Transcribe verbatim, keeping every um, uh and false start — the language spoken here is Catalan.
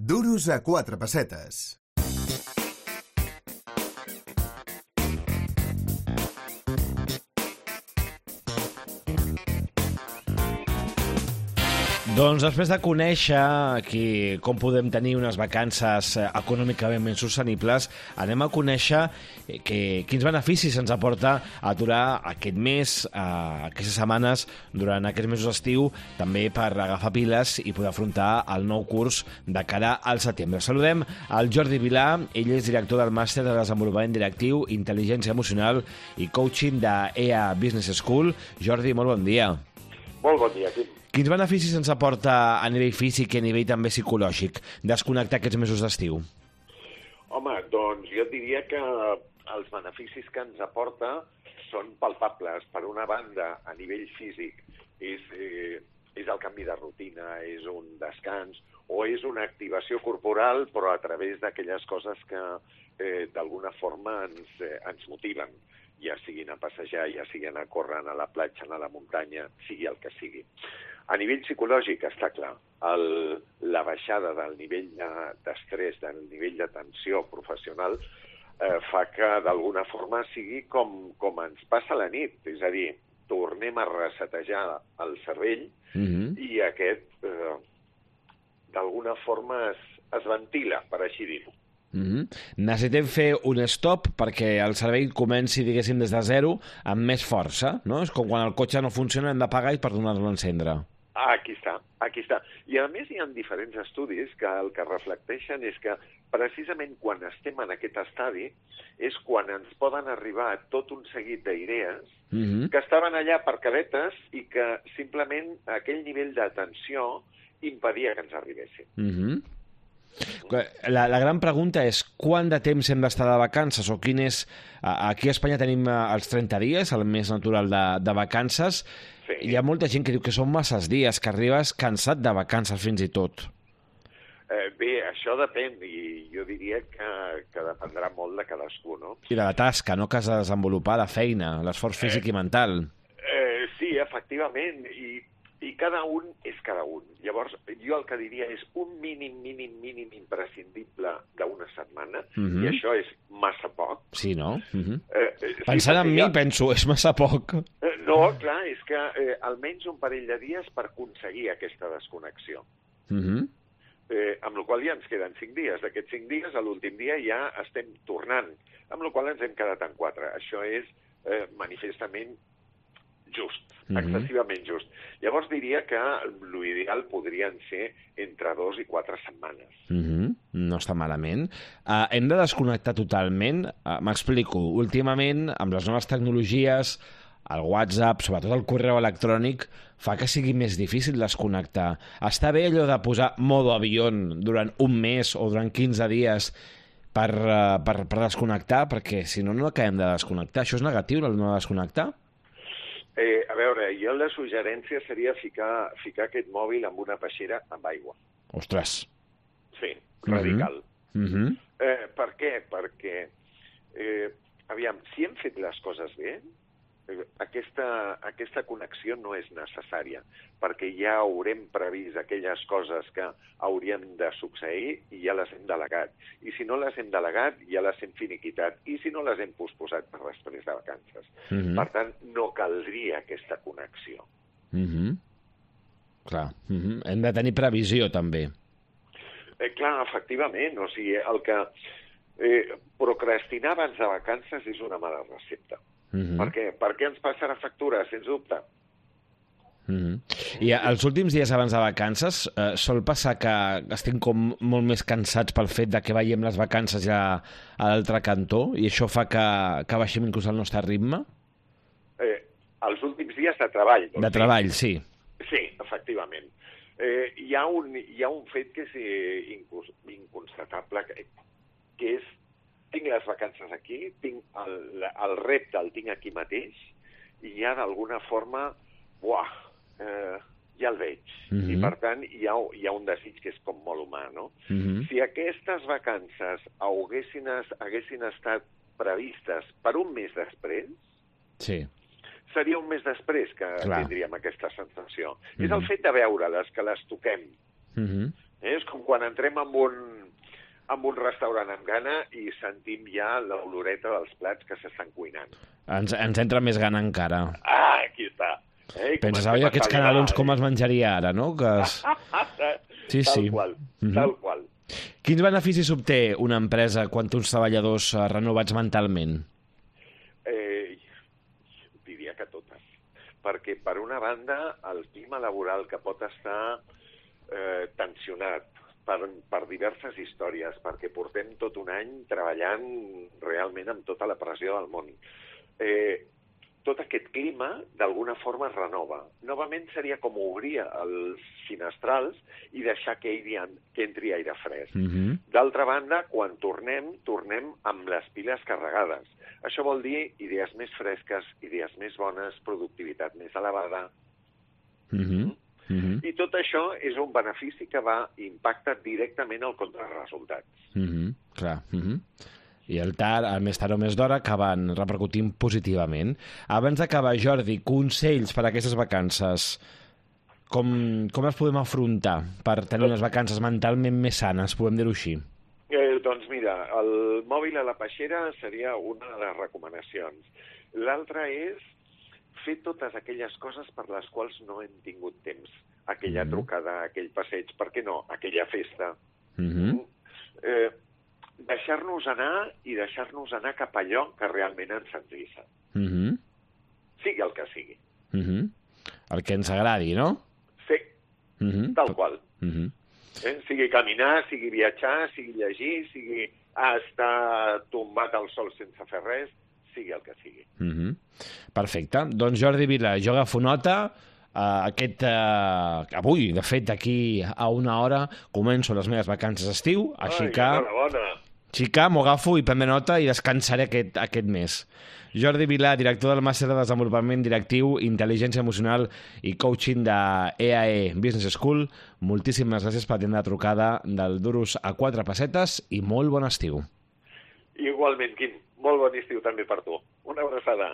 Duros a quatre pessetes. Doncs després de conèixer aquí com podem tenir unes vacances econòmicament ben sostenibles, anem a conèixer que, quins beneficis ens aporta aturar aquest mes, eh, aquestes setmanes, durant aquests mesos d'estiu, també per agafar piles i poder afrontar el nou curs de cara al setembre. Saludem al Jordi Vilà, ell és director del màster de desenvolupament directiu, intel·ligència emocional i coaching de E A Business School. Jordi, molt bon dia. Molt bon dia, Quim. Quins beneficis ens aporta a nivell físic i a nivell també psicològic desconnectar aquests mesos d'estiu? Home, doncs jo diria que els beneficis que ens aporta són palpables. Per una banda, a nivell físic, és, eh, és el canvi de rutina, és un descans o és una activació corporal, però a través d'aquelles coses que eh, d'alguna forma ens, eh, ens motiven, ja siguin a passejar, ja siguin a córrer, a la platja, a la muntanya, sigui el que sigui. A nivell psicològic, està clar, el, la baixada del nivell d'estrès, de, del nivell de tensió professional, eh, fa que d'alguna forma sigui com, com ens passa la nit, és a dir, tornem a resetejar el cervell mm-hmm. i aquest, eh, d'alguna forma, es, es ventila, per així dir-ho. Mm-hmm. Necessitem fer un stop perquè el cervell comenci, diguéssim, des de zero amb més força, no? És com quan el cotxe no funciona, hem d'apagar i per donar-lo a encendre. Aquí està, aquí està. I a més hi ha diferents estudis que el que reflecteixen és que precisament quan estem en aquest estadi és quan ens poden arribar tot un seguit d'idees mm-hmm. que estaven allà per cadetes i que simplement aquell nivell de tensió impedia que ens arribessin. Mm-hmm. La, la gran pregunta és quant de temps hem d'estar de vacances o quin és... Aquí a Espanya tenim els trenta dies, el mes natural de, de vacances. Sí. Hi ha molta gent que diu que són masses dies, que arribes cansat de vacances fins i tot. Eh, bé, això depèn i jo diria que, que dependrà molt de cadascú, no? I de la tasca, no?, que has de desenvolupar, la feina, l'esforç físic eh, i mental. Eh, sí, efectivament, i I cada un és cada un. Llavors, jo el que diria és un mínim, mínim, mínim imprescindible d'una setmana, mm-hmm. i això és massa poc. Sí, no? Mm-hmm. eh, Pensant sí, en mi, ja... penso, és massa poc. Eh, no, clar, és que eh, almenys un parell de dies per aconseguir aquesta desconnexió. Mm-hmm. Eh, amb la qual cosa ja ens queden cinc dies. D'aquests cinc dies, a l'últim dia ja estem tornant, amb la qual cosa ens hem quedat en quatre. Això és eh, manifestament just, mm-hmm. excessivament just. Llavors diria que l'ideal podrien ser entre dos i quatre setmanes. Mm-hmm. No està malament. Uh, hem de desconnectar totalment. Uh, M'explico. Últimament, amb les noves tecnologies, el WhatsApp, sobretot el correu electrònic, fa que sigui més difícil desconnectar. Està bé allò de posar modo avió durant un mes o durant quinze dies per, uh, per, per desconnectar, perquè si no, no acabem de desconnectar. Això és negatiu, el no desconnectar? Eh, a veure, jo la suggerència seria ficar, ficar aquest mòbil amb una peixera amb aigua. Ostres! Sí, radical. Mm-hmm. Eh, per què? Perquè, eh, aviam, si hem fet les coses bé, eh, aquesta, aquesta connexió no és necessària, perquè ja haurem previst aquelles coses que haurien de succeir i ja les hem delegat. I si no les hem delegat, ja les hem finiquitat. I si no les hem posposat per després de vacances. Mm-hmm. Per tant, no caldria aquesta connexió. Mm-hmm. Clar. Mm-hmm. Hem de tenir previsió, també. Eh, clar, efectivament. O sigui, el que eh, procrastinar abans de vacances és una mala recepta. Mm-hmm. Per què? Per què ens passarà factura, sens dubte? Mm-hmm. I els últims dies abans de vacances eh, sol passar que estem com molt més cansats pel fet de que veiem les vacances ja a l'altre cantó i això fa que, que baixem inclús el nostre ritme? Eh, els últims dies de treball. Doncs de treball, sí. Sí, efectivament. Eh, hi, ha un, hi ha un fet que és eh, inconstatable, que, que és tinc les vacances aquí, tinc el, el repte el tinc aquí mateix i ja d'alguna forma, buah, eh, ja el veig. Mm-hmm. I per tant hi ha, hi ha un desig que és com molt humà, no? Mm-hmm. Si aquestes vacances haguessin, haguessin estat previstes per un mes després, sí. seria un mes després que Clar. tindríem aquesta sensació. Mm-hmm. És el fet de veure-les, que les toquem. Mm-hmm. Eh? És com quan entrem en un, en un restaurant amb gana i sentim ja l'oloreta dels plats que s'estan cuinant. Ens, ens entra més gana encara. Ah, aquí està. Eh? Penses, oi, aquests canelons com es menjaria ara, no? Que es... Sí, tal sí. qual, Mm-hmm. tal qual. Quins beneficis obté una empresa quan té uns treballadors eh, renovats mentalment? Eh, diria que totes. Perquè, per una banda, el clima laboral que pot estar eh, tensionat per, per diverses històries, perquè portem tot un any treballant realment amb tota la pressió del món. Eh, tot aquest clima, d'alguna forma, es renova. Novament seria com obrir els finestrals i deixar que, airi, que entri aire fresc. Mm-hmm. D'altra banda, quan tornem, tornem amb les piles carregades. Això vol dir idees més fresques, idees més bones, productivitat més elevada. Mm-hmm. Mm-hmm. I tot això és un benefici que va impactar directament al compte de resultats. Mm-hmm. Clar. Mm-hmm. I el tard, el més tard o més d'hora, acaben repercutint positivament. Abans d'acabar, Jordi, consells per a aquestes vacances. Com, com les podem afrontar per tenir unes vacances mentalment més sanes, podem dir-ho així? Eh, doncs mira, el mòbil a la peixera seria una de les recomanacions. L'altra és fer totes aquelles coses per les quals no hem tingut temps. Aquella mm-hmm. trucada, aquell passeig, per què no? Aquella festa. Mm-hmm. Eh, deixar-nos anar i deixar-nos anar cap a allò que realment ens senzissa. Mm-hmm. Sigui el que sigui. Mm-hmm. El que ens agradi, no? Sí, Mm-hmm. tal qual. Mm-hmm. Eh? Sigui caminar, sigui viatjar, sigui llegir, sigui estar tombat al sol sense fer res, sigui el que sigui. Mm-hmm. Perfecte. Doncs Jordi Vila, jo agafo nota. Uh, aquest, uh, avui, de fet, d'aquí a una hora començo les meves vacances d'estiu, així Ai, que... enhorabona. Xica, m'ho agafo i prendré nota i descansaré aquest, aquest mes. Jordi Vilà, director del Màster de Desenvolupament Directiu, Intel·ligència Emocional i Coaching de E A E Business School, moltíssimes gràcies per atendre la trucada del Duros a quatre pessetes i molt bon estiu. Igualment, Quim, molt bon estiu també per tu. Una abraçada.